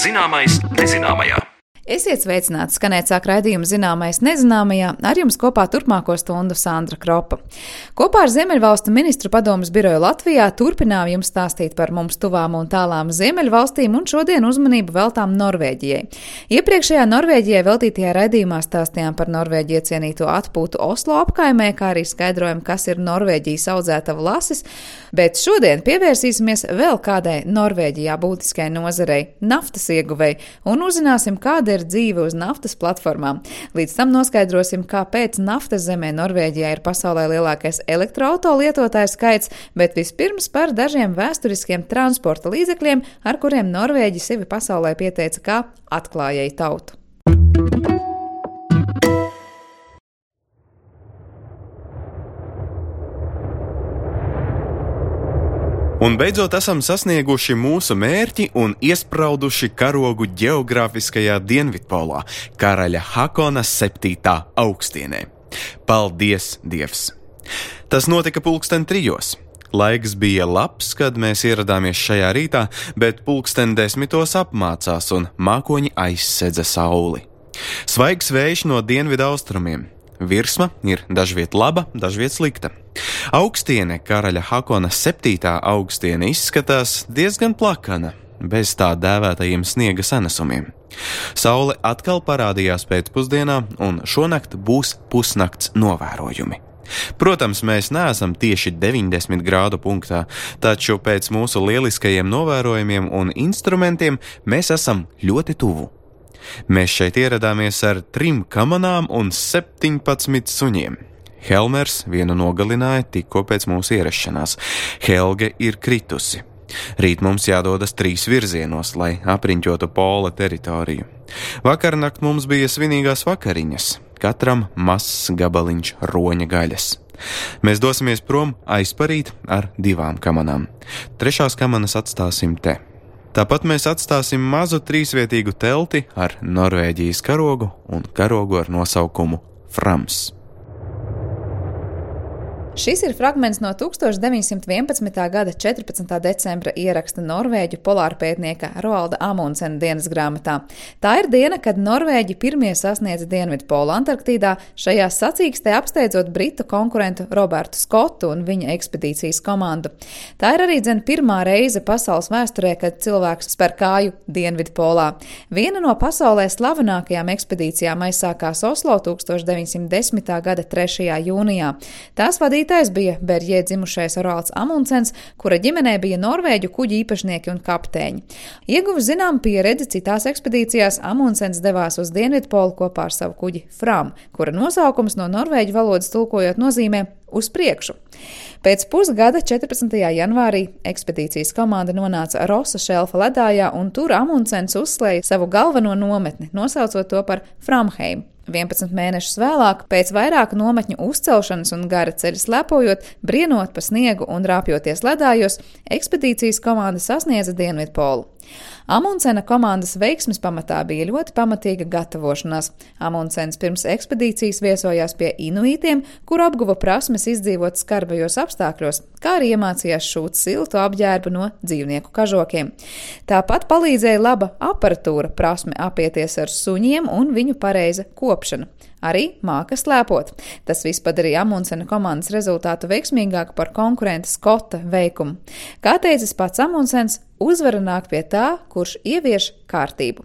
Zināmais nezināmajā. Esiet sveicināti, skanēt sāk raidījumu Zināmais nezināmajā, ar jums kopā turpmāko stundu Sandra Kropa. Kopā ar Ziemeļvalstu ministru padomes biroju Latvijā turpinām jums stāstīt par mums tuvām un tālām Ziemeļvalstīm un šodien uzmanību veltām Norvēģijai. Iepriekšējā Norvēģijai veltītajā raidījumā stāstījām par Norvēģiju iecienīto atpūtu Oslo apkaimē, kā arī skaidrojam, kas ir Norvēģijas audzētava lasis, bet šodien pievērsīsimies vēl kādai Norvēģijā būtiskai nozarei – naftas ieguvei, un uzzināsim, kāda ir dzīve uz naftas platformām. Līdz tam noskaidrosim, kāpēc naftas zemē Norvēģijā ir pasaulē lielākais elektroauto lietotāju skaits, bet vispirms par dažiem vēsturiskiem transporta līdzekļiem, ar kuriem Norvēģi sevi pasaulē pieteica kā atklājēju tautu. Un beidzot esam sasnieguši mūsu mērķi un iesprauduši karogu ģeogrāfiskajā Dienvidpolā, karaļa Hakona 7. augstienē. Paldies, Dievs! Tas notika 3:00. Laiks bija labs, kad mēs ieradāmies šajā rītā, bet 10:00 apmācās un mākoņi aizsedza sauli. Svaigs vējš no dienvidu austrumiem. Virsma ir dažviet laba, dažviet slikta. Augstiene, karaļa Hakona 7. augstiene, izskatās diezgan plakana, bez tā dēvētajiem sniega sanesumiem. Saule atkal parādījās pēcpusdienā, un šonakt būs pusnakts novērojumi. Protams, mēs neesam tieši 90 grādu punktā, taču pēc mūsu lieliskajiem novērojumiem un instrumentiem mēs esam ļoti tuvu. Mēs šeit ieradāmies ar 3 kamanām un 17 suņiem. Helmers vienu nogalināja tikko pēc mūsu ierašanās. Helge ir kritusi. Rīt mums jādodas 3 virzienos, lai apriņķotu pola teritoriju. Vakarnakt mums bija svinīgās vakariņas, katram mazs gabaliņš roņa gaļas. Mēs dosimies prom aizparīt ar 2 kamanām. 3 kamanas atstāsim te. Tāpat mēs atstāsim mazu 3-vietīgu telti ar Norvēģijas karogu un karogu ar nosaukumu Frams. Šis ir fragments no 1911. gada 14. decembra ieraksta norvēģu polārpētnieka Roalda Amundsena dienas grāmatā. Tā ir diena, kad norvēģi pirmie sasniedza Dienvidpolu Antarktīdā, šajā sacīkstē apsteidzot britu konkurentu Robertu Skotu un viņa ekspedīcijas komandu. Tā ir arī pirmā reize pasaules vēsturē, kad cilvēks spēr kāju Dienvidpolā. Viena no pasaulē slavenākajām ekspedīcijām aizsākās Oslo 1910. gada 3. jūnijā. Tās vadītājs bija Berjē dzimušais Roalds Amundsens, kura ģimenē bija norvēģu kuģu īpašnieki un kapteiņi. Ieguvis zinām pieredzi citās ekspedīcijās, Amundsens devās uz Dienvidpolu kopā ar savu kuģi Fram, kura nosaukums no norvēģu valodas tulkojot nozīmē uz priekšu. Pēc pusgada 14. janvārī ekspedīcijas komanda nonāca Rosa šelfa ledājā, un tur Amundsens uzslēja savu galveno nometni, nosaucot to par Framheim. 11 mēnešus vēlāk, pēc vairāku nometņu uzcelšanas un gara ceļa slepojot, brienot pa sniegu un rāpjoties ledājos, ekspedīcijas komanda sasniedza Dienvidpolu. Amundsena komandas veiksmes pamatā bija ļoti pamatīga gatavošanās. Amundsens pirms ekspedīcijas viesojās pie inuitiem, kur apguva prasmes izdzīvot skarbajos apstākļos, kā arī iemācījās šūt siltu apģērbu no dzīvnieku kažokiem. Tāpat palīdzēja laba aparatūra, prasme apieties ar suņiem un viņu pareiza kopšana. Arī māka slēpot. Tas viss padarīja Amundsena komandas rezultātu veiksmīgāku par konkurenta Skota veikumu. Kā teicis pats Amundsens, uzvara nāk pie tā, kurš ievieš kārtību.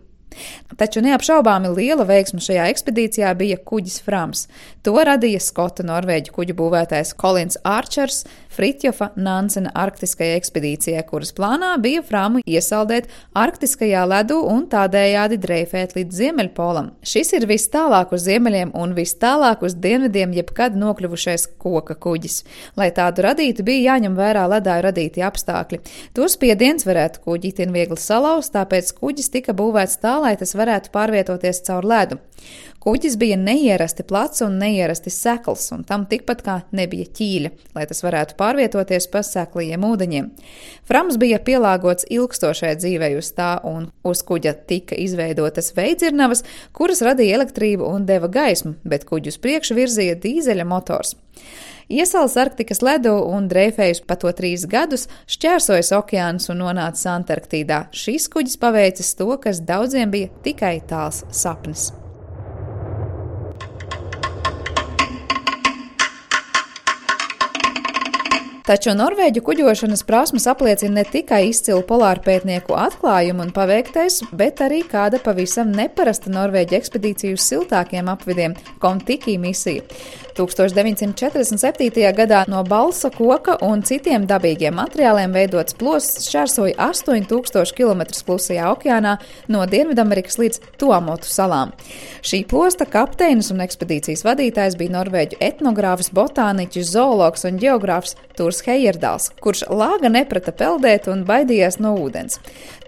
Taču neapšaubāmi liela veiksme šajā ekspedīcijā bija kuģis Frams. To radīja Skota norvēģu kuģu būvētājs Kolins Arčers Fritjofa Nansena arktiskajai ekspedīcijai, kuras plānā bija Framu iesaldēt arktiskajā ledu un tādējādi dreifēt līdz Ziemeļpolam. Šis ir vis tālāk uz ziemeļiem un vis tālāk uz dienvidiem jebkad nokļuvušais koka kuģis. Lai tādu radītu, bija jāņem vērā ledāju radīti apstākļi. To spiediens varētu kuģi itin viegli salauzt, tāpēc kuģis tika būvēts tā, lai tas varētu pārvietoties caur ledu. Kuģis bija neierasti plats un neierasti sekls, un tam tikpat kā nebija ķīļa, lai tas varētu pārvietoties pa seklajiem ūdeņiem. Frams bija pielāgots ilgstošai dzīvei uz tā, un uz kuģa tika izveidotas veidzirnavas, kuras radīja elektrību un deva gaismu, bet kuģu uz priekšu virzīja dīzeļa motors. Iesals Arktikas ledu un dreifējus pa to 3 gadus, šķērsojis okeānus un nonācis Antarktīdā. Šis kuģis paveicis to, kas daudziem bija tikai tāls sapnis. Taču norvēģu kuģošanas prasmes apliecina ne tikai izcilu polārpētnieku atklājumu un paveiktais, bet arī kāda pavisam neparasta norvēģu ekspedīciju uz siltākiem apvidiem – Kon-Tiki misija. 1947. gadā no balsa koka un citiem dabīgiem materiāliem veidots plosts šķērsoja 8000 km klusajā okeānā no Dienvidamerikas līdz Tuamotu salām. Šī plosta kapteinis un ekspedīcijas vadītājs bija norvēģu etnogrāfs, botāniķis, zoologs un ģeogrāfs Turs Heyerdāls, kurš lāga neprata peldēt un baidījās no ūdens.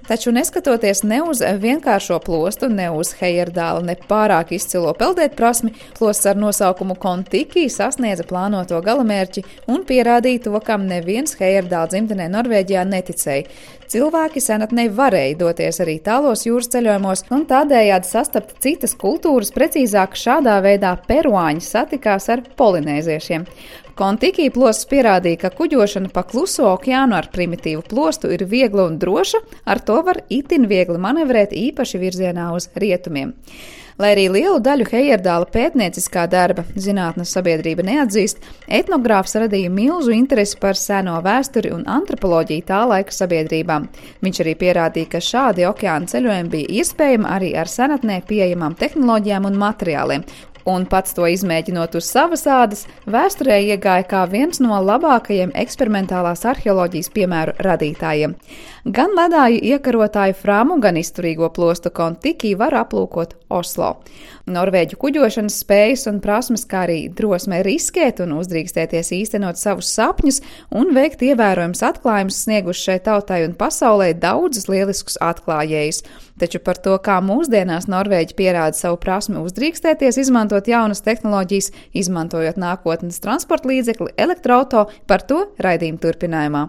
Taču neskatoties ne uz vienkāršo plostu, ne uz Heyerdāla ne pārāk izcilo peldēt prasmi, plosts ar nosaukumu Kon-Tiki sasniedza plānoto galamērķi un pierādīja to, kam neviens Heyerdāla dzimtenē Norvēģijā neticēja. Cilvēki senatnē varēja doties arī tālos jūras ceļojumos un tādējādi sastapt citas kultūras, precīzāk šādā veidā peruāņi satikās ar polinēziešiem. Kon-Tiki plosts pierādīja, ka kuģošana pa kluso okeānu ar primitīvu plostu ir viegla un droša, ar to var itin viegli manevrēt īpaši virzienā uz rietumiem. Lai arī lielu daļu Heyerdāla pētnieciskā darba zinātnes sabiedrība neatzīst, etnogrāfs radīja milzu interesi par seno vēsturi un antropoloģiju tā laika sabiedrībām. Viņš arī pierādīja, ka šādi okeāna ceļojumi bija iespējami arī ar senatnē pieejamām tehnoloģijām un materiāliem. Un pats to izmēģinot uz savas ādas, vēsturē iegāja kā viens no labākajiem eksperimentālās arheoloģijas piemēru radītājiem. Gan ledāju iekarotāju Framu, gan izturīgo plostu Kon-Tiki var aplūkot Oslo. Norvēģu kuģošanas spējas un prasmes, kā arī drosme riskēt un uzdrīkstēties īstenot savus sapņus un veikt ievērojams atklājumus snieguši šai tautai un pasaulē daudzus lieliskus atklājējus. Taču par to, kā mūsdienās Norvēģi pierāda savu prasmi uzdrīkstēties, izmantot jaunas tehnoloģijas, izmantojot nākotnes transporta līdzekli elektroauto, par to raidījuma turpinājumā.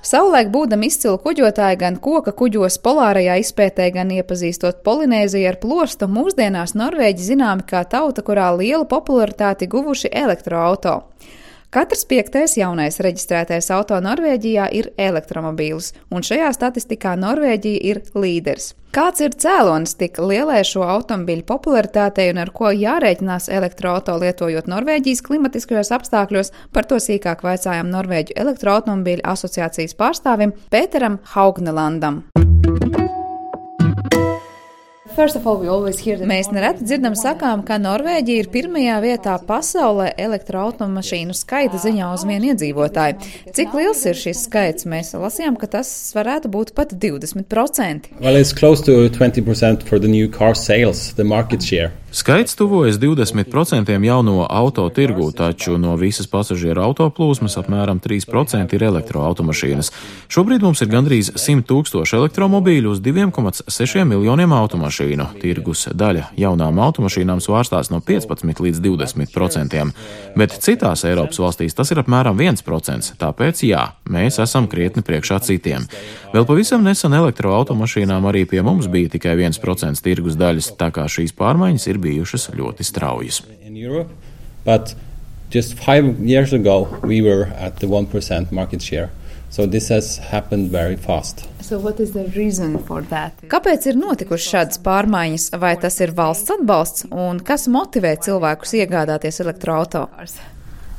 Savulaik būdam izcilu kuģotāji gan koka kuģos polārajā izpētē, gan iepazīstot Polinēziju ar plostu, mūsdienās Norvēģi zināmi kā tauta, kurā lielu popularitāti guvuši elektroauto. Katrs 5. jaunais reģistrētais auto Norvēģijā ir elektromobīls, un šajā statistikā Norvēģija ir līderis. Kāds ir cēlonis tik lielai šo automobīļu popularitātei un ar ko jārēķinās elektroauto lietojot Norvēģijas klimatiskajos apstākļos, par to sīkāk vaicājām Norvēģu elektroautomobīļu asociācijas pārstāvim Pēteram Haugnelandam. Mēs nereti dzirdam sakām, ka Norvēģija ir pirmajā vietā pasaulē elektroautomašīnu skaita ziņā uz vienu iedzīvotāju. Cik liels ir šis skaits? Mēs lasījām, ka tas varētu būt pat 20%. Well, it's close to 20% for the new car sales, the market share. Skaits tuvojas 20% jauno auto tirgū, taču no visas pasažieru autoplūsmas apmēram 3% ir elektroautomašīnas. Šobrīd mums ir gandrīz 100 000 elektromobīļu uz 2,6 miljoniem automašīnu. Tirgus daļa jaunām automašīnām svārstās no 15 līdz 20%, bet citās Eiropas valstīs tas ir apmēram 1%, tāpēc jā, mēs esam krietni priekšā citiem. Vēl pavisam nesen elektroautomašīnām arī pie mums bija tikai 1% tirgus daļas, tā kā šīs pārmaiņas ir bijušas ļoti straujas. But just 5 years ago we were at the 1% market share. So this has happened very fast. So what is the reason for that? Kāpēc ir notikušas šādas pārmaiņas? Vai tas ir valsts atbalsts? Un kas motivē cilvēkus iegādāties elektroauto?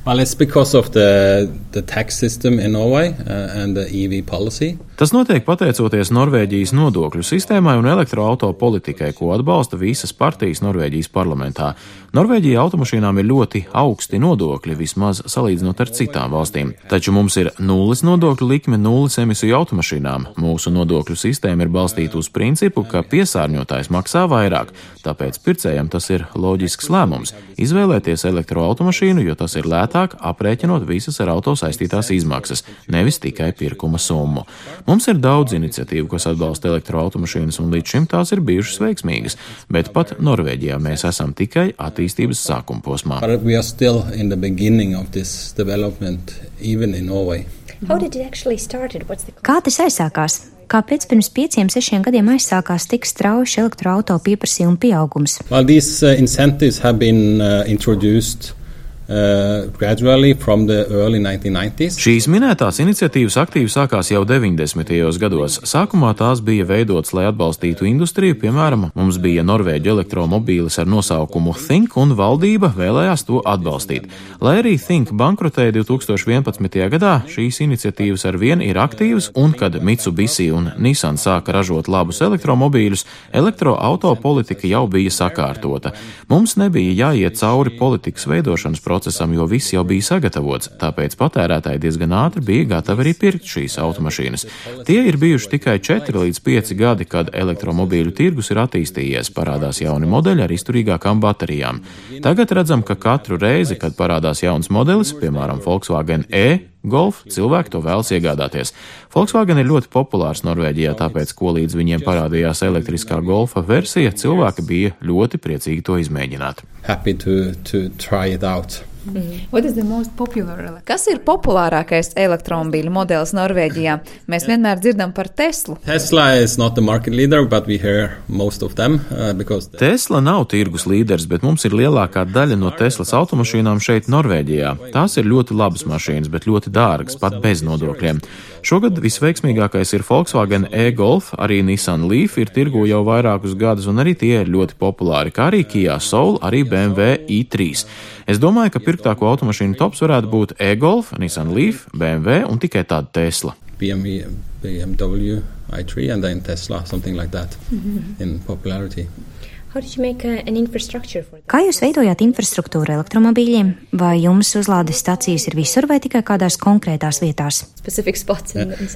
Well, it's because of the tax system in Norway and the EV policy. Tas notiek pateicoties Norvēģijas nodokļu sistēmai un elektroauto politikai, ko atbalsta visas partijas Norvēģijas parlamentā. Norvēģija automašīnām ir ļoti augsti nodokļi, vismaz salīdzinot ar citām valstīm. Taču mums ir nulles nodokļu likme nulles emisiju automašīnām. Mūsu nodokļu sistēma ir balstīta uz principu, ka piesārņotājs maksā vairāk, tāpēc pircējam tas ir loģisks lēmums – izvēlēties elektroautomašīnu, jo tas ir lētāk, aprēķinot visas ar auto saistītās izmaksas, nevis tikai pirkuma summu. Mums ir daudz iniciatīvu, kas atbalsta elektroautomašīnas, un līdz šim tās ir bijušas veiksmīgas, bet pat Norvēģijā mēs esam tikai attīstības sākuma posmā. But we are still in the beginning of this development, even in Norway. Kā tas aizsākās? Kāpēc pirms 5-6 gadiem aizsākās tik strauji elektroauto pieprasījuma pieaugums? Well, these incentives have been introduced gradually from the early 1990s. Šīs minētās iniciatīvas aktīvi sākās jau 90. gados. Sākumā tās bija veidotas, lai atbalstītu industriju, piemēram, mums bija Norvēģu elektromobīlis ar nosaukumu Think, un valdība vēlējās to atbalstīt. Lai arī Think bankrotēja 2011. gadā, šīs iniciatīvas arvien ir aktīvas, un kad Mitsubishi un Nissan sāka ražot labus elektromobīļus, elektroauto politika jau bija sakārtota. Mums nebija jāiet cauri politikas veidošanas procesam, jo viss jau bija sagatavots, tāpēc patērētāji diezgan ātri bija gatavi arī pirkt šīs automašīnas. Tie ir bijuši tikai 4 līdz 5 gadi, kad elektromobīļu tirgus ir attīstījies, parādās jauni modeļi ar izturīgākām baterijām. Tagad redzam, ka katru reizi, kad parādās jauns modelis, piemēram, Volkswagen Golf, cilvēki to vēlas iegādāties. Volkswagen ir ļoti populārs Norvēģijā, tāpēc, ko līdz viņiem parādījās elektriskā Golfa versija, cilvēki bija ļoti priecīgi to izmēģināt. Happy to try it out. Kas ir populārākais elektromobīļu modelis Norvēģijā? Mēs vienmēr dzirdam par Teslu. Tesla is not the market leader, but we hear most of them because Tesla nav tirgus līderis, bet mums ir lielākā daļa no Teslas automašīnām šeit Norvēģijā. Tās ir ļoti labas mašīnas, bet ļoti dārgas, pat bez nodokļiem. Šogad visveiksmīgākais ir Volkswagen Golf, arī Nissan Leaf ir tirgu jau vairākus gadus, un arī tie ir ļoti populāri, kā arī Kia Soul, arī BMW i3. Es domāju, ka pirktāko automašīnu tops varētu būt Golf, Nissan Leaf, BMW un tikai tāda Tesla. BMW i3 and then Tesla, something like that in popularity. Kā jūs veidojāt infrastruktūru elektromobīļiem? Vai jums uzlādes stacijas ir visur vai tikai kādās konkrētās vietās?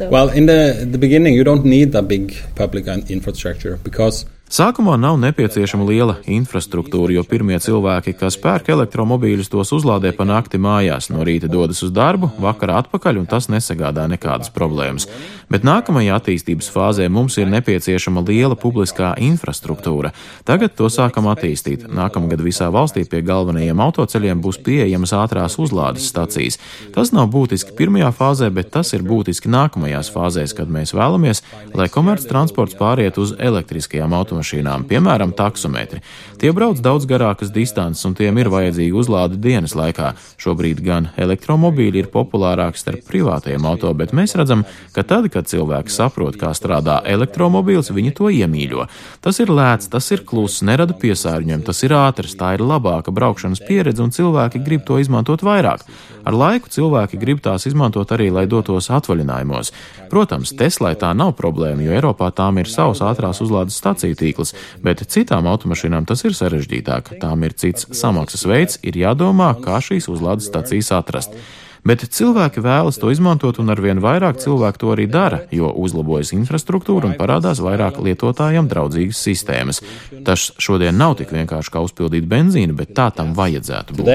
Well, in the beginning you don't need a big public infrastructure because Sākumā nav nepieciešama liela infrastruktūra, jo pirmie cilvēki, kas pērk elektromobīļus, tos uzlādē pa nakti mājās, no rīta dodas uz darbu, vakarā atpakaļ, un tas nesagādā nekādas problēmas. Bet nākamajā attīstības fāzē mums ir nepieciešama liela publiskā infrastruktūra. Tagad to sākam attīstīt. Nākamgad visā valstī pie galvenajiem autoceļiem būs pieejamas ātrās uzlādes stacijas. Tas nav būtiski pirmajā fāzē, bet tas ir būtiski nākamajās fāzēs, kad mēs vēlamies, lai komerc transports pāriet uz elektriskajām automašīnām, piemēram, taksometri. Tie brauc daudz garākas distances, un tiem ir vajadzīga uzlāde dienas laikā. Šobrīd gan elektromobīļi ir populārāki starp privātajiem auto, bet mēs redzam, ka tad, kad cilvēki saprot, kā strādā elektromobīls, viņi to iemīļo. Tas ir lēts, tas ir kluss, nerada piesārņojumu, tas ir ātrs, tā ir labāka braukšanas pieredze, un cilvēki grib to izmantot vairāk. Ar laiku cilvēki grib tās izmantot arī, lai dotos atvaļinājumos. Protams, Teslai tā nav problēma, jo Eiropā tām ir savs ātrās uzlādes staciju tīkls, bet citām automašīnām tas ir sarežģītāk. Tām ir cits samaksas veids, ir jādomā, kā šīs uzlādes stacijas atrast. Bet cilvēki vēlas to izmantot, un arvien vairāk cilvēku to arī dara, jo uzlabojas infrastruktūra un parādās vairāk lietotājiem draudzīgas sistēmas. Tas šodien nav tik vienkārši kā uzpildīt benzīnu, bet tā tam vajadzētu būt.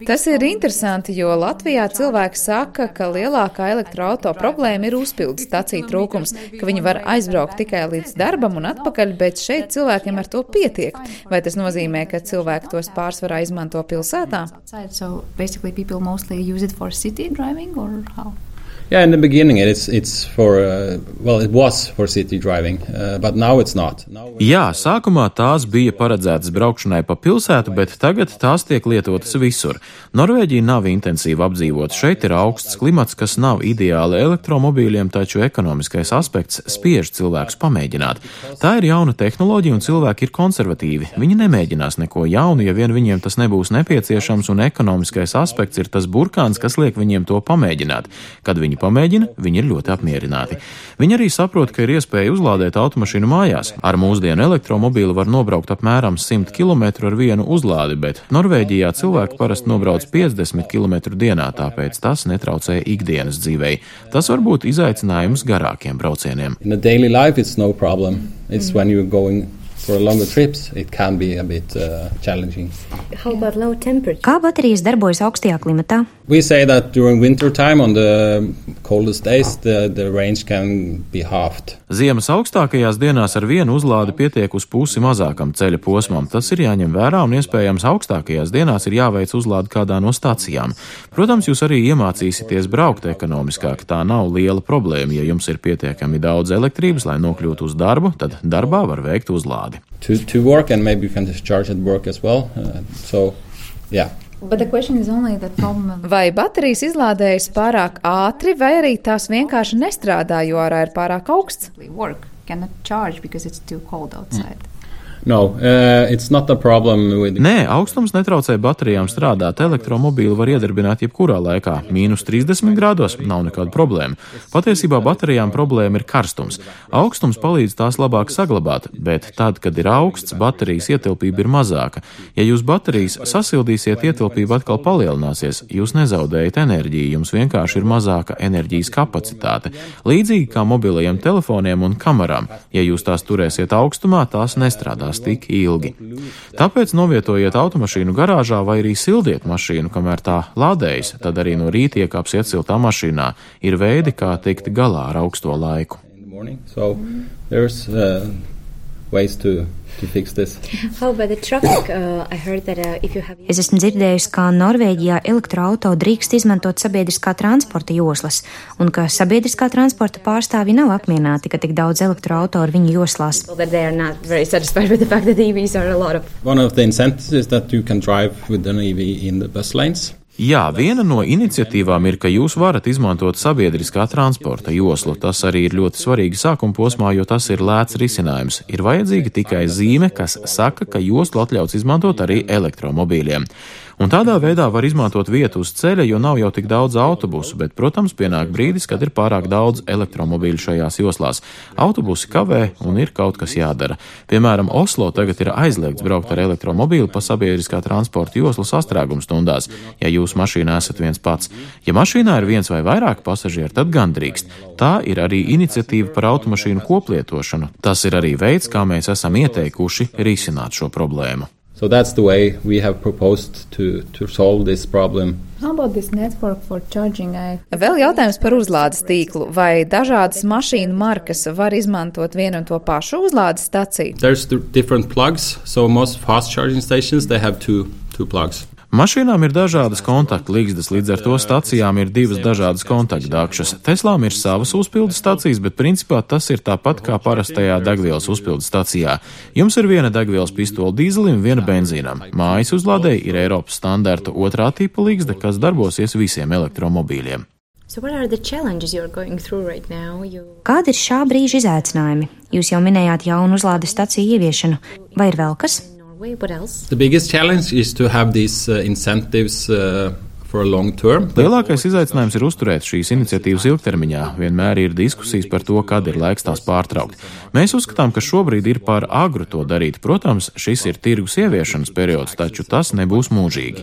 Tas ir interesanti, jo Latvijā cilvēki saka, ka lielākā elektroauto problēma ir uzpildes staciju trūkums, ka viņi var aizbraukt tikai līdz darbam un atpakaļ, bet šeit cilvēkiem ar to pietiek. Vai tas nozīmē, ka cilvēki tos pārsvarā izmanto pilsētā? Yeah, in the beginning it was for city driving, but now it's not. Jā, sākumā tās bija paredzētas braukšanai pa pilsētu, bet tagad tās tiek lietotas visur. Norvēģija nav intensīvi apdzīvota, šeit ir augsts klimats, kas nav ideāli elektromobīļiem, taču ekonomiskais aspekts spiež cilvēkus pamēģināt. Tā ir jauna tehnoloģija, un cilvēki ir konservatīvi. Viņi nemēģinās neko jaunu, ja vien viņiem tas nebūs nepieciešams, un ekonomiskais aspekts ir tas burkāns, kas liek viņiem to pamēģināt. Kad viņi pamēģina, viņi ir ļoti apmierināti. Viņi arī saprot, ka ir iespēja uzlādēt automašīnu mājās. Ar mūsdienu elektromobīlu var nobraukt apmēram 100 km ar vienu uzlādi, bet Norvēģijā cilvēki parasti nobrauc 50 km dienā, tāpēc tas netraucē ikdienas dzīvei. Tas var būt izaicinājums garākiem braucieniem. In the daily life it's no problem. It's when you're going for longer trips, it can be a bit challenging. How about low temperature? Kā baterijas darbojas augstajā klimatā? We say that during winter time on the coldest days the range can be halved. Ziemas augstākajās dienās ar vienu uzlādi pietiek uz pusi mazākam ceļa posmam. Tas ir jāņem vērā un iespējams augstākajās dienās ir jāveic uzlādi kādā no stacijām. Protams, jūs arī iemācīsieties braukt ekonomiskāk. Tā nav liela problēma. Ja jums ir pietiekami daudz elektrības, lai nokļūtu uz darbu, tad darbā var veikt uzlādi. To work and maybe you can discharge at work as well. Vai baterijas izlādējas pārāk ātri, vai arī tās vienkārši nestrādā, jo ārā ir pārāk augsts? No, it's not a problem with... Nē, augstums netraucē baterijām strādāt. Elektromobīlu var iedarbināt jebkurā laikā. -30 grādos nav nekāda problēma. Patiesībā baterijām problēma ir karstums. Augstums palīdz tās labāk saglabāt, bet tad, kad ir augsts, baterijas ietilpība ir mazāka. Ja jūs baterijas sasildīsiet, ietilpība atkal palielināsies. Jūs nezaudējat enerģiju, jums vienkārši ir mazāka enerģijas kapacitāte. Līdzīgi kā mobilajiem telefoniem un kamerām. Ja jūs tās turēsiet augstumā, tās nestrādās tik ilgi. Tāpēc novietojiet automašīnu garāžā vai arī sildiet mašīnu, kamēr tā lādējas, tad arī no rīta iekāpsiet siltā mašīnā. Ir veidi, kā tikt galā ar augsto laiku. So there's ways to fix this. Es esmu dzirdējusi, ka Norvēģijā elektroauto drīkst izmantot sabiedriskā transporta joslas, un ka sabiedriskā transporta pārstāvji nav apmierināti, ka tik daudz elektroauto ir viņu joslās. One of the incentives is that you can drive with an EV in the bus lanes. Jā, viena no iniciatīvām ir, ka jūs varat izmantot sabiedriskā transporta joslu. Tas arī ir ļoti svarīgi sākuma posmā, jo tas ir lēts risinājums. Ir vajadzīga tikai zīme, kas saka, ka joslu atļauts izmantot arī elektromobīļiem. Un tādā veidā var izmantot vietu uz ceļa, jo nav jau tik daudz autobusu, bet, protams, pienāk brīdis, kad ir pārāk daudz elektromobīļu šajās joslās. Autobusi kavē un ir kaut kas jādara. Piemēram, Oslo tagad ir aizliegts braukt ar elektromobīlu pa sabiedriskā transporta joslu sastrēguma stundās, ja jūs mašīnā esat viens pats. Ja mašīnā ir viens vai vairāk pasažieri, tad gan drīkst. Tā ir arī iniciatīva par automašīnu koplietošanu. Tas ir arī veids, kā mēs esam ieteikuši risināt šo problēmu. So that's the way we have proposed to solve this problem. Vēl jautājums par uzlādes tīklu. Vai dažādas mašīnu markas var izmantot vienu un to pašu uzlādes staciju? There's different plugs, so most fast charging stations they have two plugs. Mašīnām ir dažādas kontaktligzdas, līdz ar to stacijām ir divas dažādas kontaktdakšas. Teslām ir savas uzpildes stacijas, bet principā tas ir tāpat kā parastajā degvielas uzpildes stacijā. Jums ir viena degvielas pistola dīzelim, viena benzīnam. Mājas uzlādēji ir Eiropas standarta otrā tipa ligzda, kas darbosies visiem elektromobīļiem. Kādi ir šā brīža izaicinājumi? Jūs jau minējāt jaunu uzlādes staciju ieviešanu. Vai ir vēl kas? The biggest challenge is to have these incentives for a long term. Lielākais izaicinājums ir uzturēt šīs iniciatīvas ilgtermiņā. Vienmēr ir diskusijas par to, kad ir laiks tās pārtraukt. Mēs uzskatām, ka šobrīd ir par agru to darīt. Protams, šis ir tirgus ieviešanas periods, taču tas nebūs mūžīgi.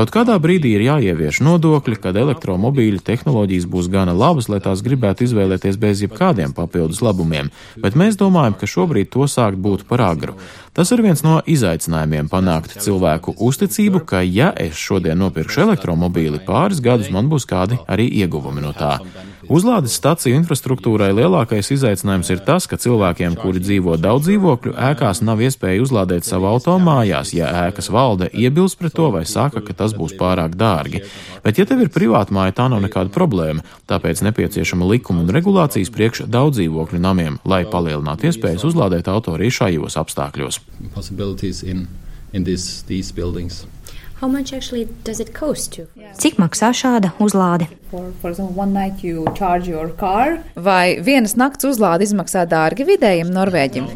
Kaut kādā brīdī ir jāievieš nodokļi, kad elektromobīļu tehnoloģijas būs gana labas, lai tās gribētu izvēlēties bez jebkādiem papildus labumiem, bet mēs domājam, ka šobrīd to sākt būtu par agru. Tas ir viens no izaicinājumiem panākt cilvēku uzticību, ka ja es šodien nopirkšu elektromobīli, pāris gadus man būs kādi arī ieguvumi no tā. Uzlādes staciju infrastruktūrai lielākais izaicinājums ir tas, ka cilvēkiem, kuri dzīvo daudz dzīvokļu ēkās, nav iespēja uzlādēt savu auto mājās, ja ēkas valde iebilst pret to vai saka, ka tas būs pārāk dārgi. Bet ja tev ir privāta māja, tā nav nekāda problēma, tāpēc nepieciešama likuma un regulācijas priekš daudz dzīvokļu namiem, lai palielinātu iespējas uzlādēt auto arī šajos apstākļos. Cik maksā šāda uzlāde? Vai vienas nakts uzlāde izmaksā dārgi vidējiem norvēģim?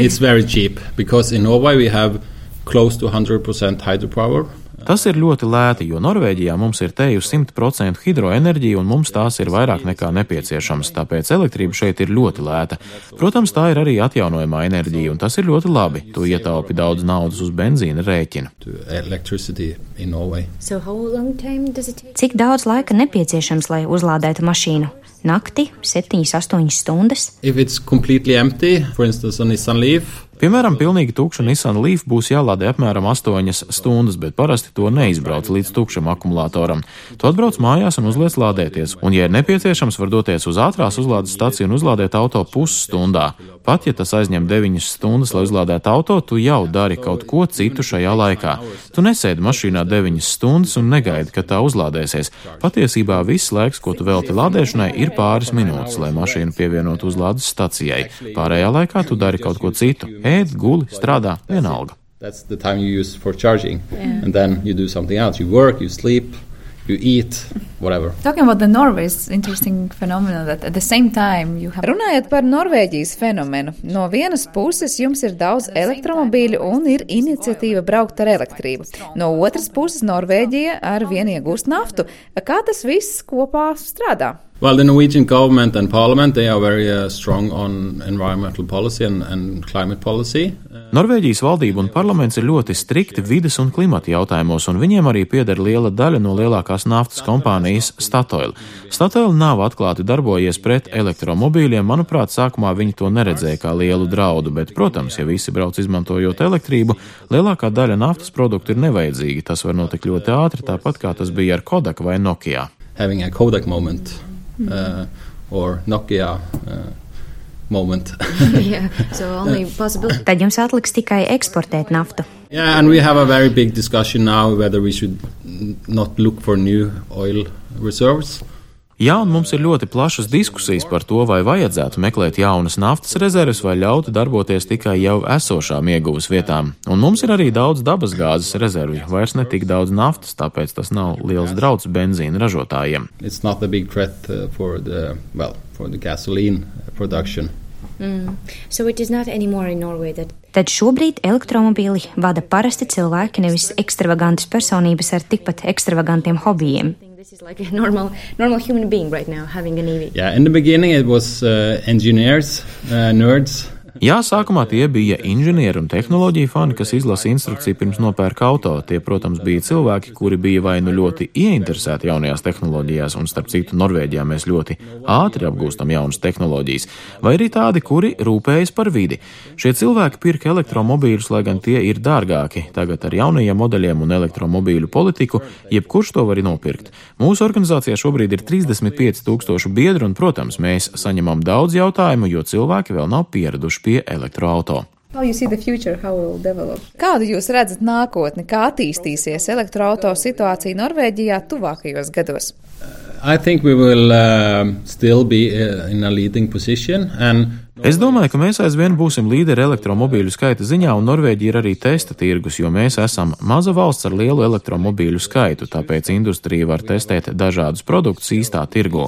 It's very cheap, because in Norway we have close to 100% hydropower. Tas ir ļoti lēti, jo Norvēģijā mums ir teju 100% hidroenerģija un mums tās ir vairāk nekā nepieciešams, tāpēc elektrība šeit ir ļoti lēta. Protams, tā ir arī atjaunojamā enerģija un tas ir ļoti labi. Tu ietaupi daudz naudas uz benzīna rēķina. Cik daudz laika nepieciešams, lai uzlādētu mašīnu? Nakti, 7-8 stundas? If it's completely empty, for instance on Nissan Leaf, Piemēram, pilnīgi tukša Nissan Leaf būs jālādē apmēram 8 stundas, bet parasti to neizbrauc līdz tukšam akumulātoram. Tu atbrauc mājās un uzliec lādēties, un, ja ir nepieciešams, var doties uz ātrās uzlādes staciju un uzlādēt auto pusstundā. Pat, ja tas aizņem 9 stundas, lai uzlādētu auto, tu jau dari kaut ko citu šajā laikā. Tu nesēdi mašīnā 9 stundas un negaidi, ka tā uzlādēsies. Patiesībā viss laiks, ko tu velti lādēšanai, ir pāris minūtes, lai mašīnu pievienotu uzlādes stacijai. Pārējā laikā tu dari kaut ko citu. Ēd, guli, strādā, vienalga. That's the time you use for charging. Yeah. And then you do something else. You work, you sleep, you eat, whatever. Talking about the Norway, it's interesting phenomenon that at the same time you have... Runājot par Norvēģijas fenomenu, no vienas puses jums ir daudz elektromobīļu un ir iniciatīva braukt ar elektrību. No otras puses Norvēģija ar vien iegūst naftu. Kā tas viss kopā strādā? Well, the Norwegian government and parliament, they are very strong on environmental policy and climate policy. Norvēģijas valdība un parlaments ir ļoti strikti vides un klimata jautājumos, un viņiem arī pieder liela daļa no lielākās naftas kompānijas Statoil. Statoil nav atklāti darbojies pret elektromobīļiem, manuprāt, sākumā viņi to neredzēja kā lielu draudu, bet, protams, ja visi brauc izmantojot elektrību, lielākā daļa naftas produktu ir nevajadzīga. Tas var notikt ļoti ātri, tāpat kā tas bija ar Kodak vai Nokia. Having a Kodak moment. Or Nokia moment. Yeah, so only possible. Tad jums atliks tikai eksportēt naftu. Yeah, and we have a very big discussion now whether we should not look for new oil reserves. Jā, un mums ir ļoti plašas diskusijas par to, vai vajadzētu meklēt jaunas naftas rezerves vai ļaut darboties tikai jau esošām ieguvas vietām. Un mums ir arī daudz dabas gāzes rezervju, vairs ne tik daudz naftas, tāpēc tas nav liels drauds benzīna ražotājiem. It's not a big threat for the gasoline production. So it is not anymore in Norway that... Tad šobrīd elektromobīli vada parasti cilvēki, nevis ekstravagantas personības ar tikpat ekstravagantiem hobijiem. This is like a normal human being right now having an EV. Yeah, in the beginning it was engineers, nerds. Jā, sākumā tie bija inženieri un tehnoloģiju fani, kas izlasa instrukciju pirms nopērka auto. Tie, protams, bija cilvēki, kuri bija vai nu ļoti ieinteresēti jaunajās tehnoloģijās, un starp citu Norvēģijā mēs ļoti ātri apgūstam jaunas tehnoloģijas, vai arī tādi, kuri rūpējas par vidi. Šie cilvēki pirka elektromobīļus, lai gan tie ir dārgāki. Tagad ar jaunajiem modeļiem un elektromobīļu politiku, jebkurš to var nopirkt. Mūsu organizācijā šobrīd ir 35,000 biedru, un, protams, mēs saņemam daudz jautājumu, jo cilvēki vēl nav pieraduši pie elektroauto. Kādu jūs redzat nākotni, kā attīstīsies elektroauto situācija Norvēģijā tuvākajos gados? I think we will still be in a leading position and Es domāju, ka mēs aizvien būsim līderi elektromobīļu skaita ziņā, un Norvēģija ir arī testa tirgus, jo mēs esam maza valsts ar lielu elektromobīļu skaitu, tāpēc industrija var testēt dažādus produktus īstā tirgu.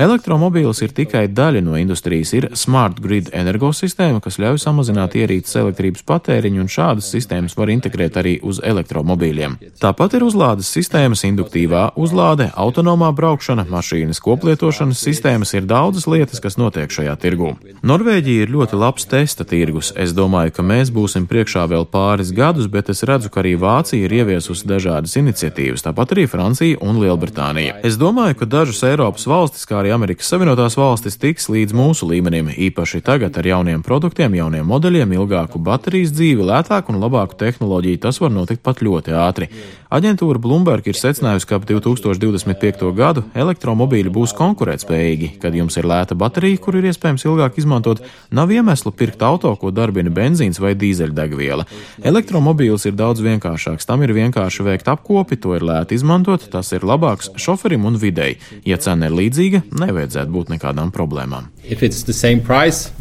Elektromobīls ir tikai daļa no industrijas, ir Smart Grid energosistēma, kas ļauj samazināt ierīces elektrības patēriņu, un šādas sistēmas var integrēt arī uz elektromobīļiem. Tāpat ir uzlādes sistēmas, induktīvā uzlāde, autonomā braukšana, mašīnas koplietošanas sistēmas, ir daudzas lietas, kas notiek šajā tirgū. Norvēģija ir ļoti labs testa tirgus. Es domāju, ka mēs būsim priekšā vēl pāris gadus, bet es redzu, ka arī Vācija ir ieviesusi dažādas iniciatīvas, tāpat arī Francija un Lielbritānija. Es domāju, ka dažas Eiropas valstis, kā arī Amerikas Savienotās valstis, tiks līdz mūsu līmenim, īpaši tagad ar jauniem produktiem, jauniem modeļiem, ilgāku baterijas dzīvi, lētāku un labāku tehnoloģiju. Tas var notikt pat ļoti ātri. Aģentūra Bloomberg ir secinājusi, ka ap 2025. gadu elektromobīļi būs konkurētspējīgi. Kad jums ir lēta baterija, kur ir iespējams ilgāk izmantot, nav iemeslu pirkt auto, ko darbina benzīns vai dīzeļdegviela. Elektromobīls ir daudz vienkāršāks. Tam ir vienkārši veikt apkopi, to ir lēti izmantot, tas ir labāks šoferim un videi. Ja cena ir līdzīga, nevajadzētu būt nekādām problēmām. If it's the same price,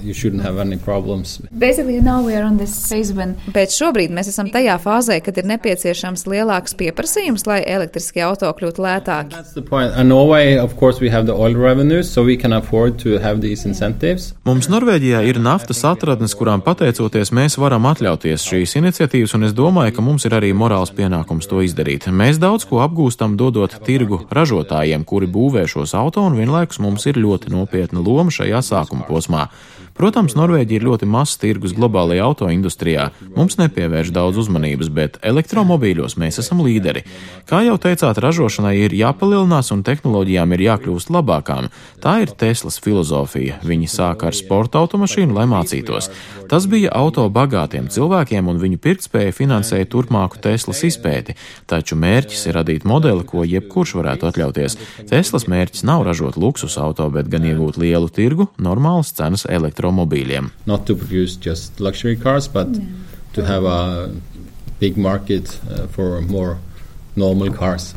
you shouldn't have any problems. Basically now we are on this phase when... Bet šobrīd mēs esam tajā fāzē, kad ir nepieciešams lielāks pieprasījums, lai elektriskie auto kļūtu lētāki. That's the point. In Norway, of course, we have the oil revenues, so we can afford to have these incentives. Mums Norvēģijā ir naftas atradnes, kurām pateicoties mēs varam atļauties šīs iniciatīvas, un es domāju, ka mums ir arī morāls pienākums to izdarīt. Mēs daudz ko apgūstam dodot tirgu ražotājiem, kuri būvē šos auto, un vienlaikus mums ir ļoti nopietna loma šajā sākuma posmā. Protams, Norvēģija ir ļoti mazs tirgus globālajā autoindustrijā. Mums nepievērš daudz uzmanības, bet elektromobīļos mēs esam līderi. Kā jau teicāt, ražošanai ir jāpalielinās un tehnoloģijām ir jākļūst labākām. Tā ir Teslas filozofija. Viņi sāka ar sporta automašīnu, lai mācītos. Tas bija auto bagātiem cilvēkiem un viņu pirktspēja finansēja turpmāku Teslas izpēti. Taču mērķis ir radīt modeli, ko jebkurš varētu atļauties. Teslas mērķis nav ražot luksus auto, bet gan iegūt lielu tirgu, normālas cenas elektromobīļiem. Not to produce just luxury cars, but to have a big market for more normal cars.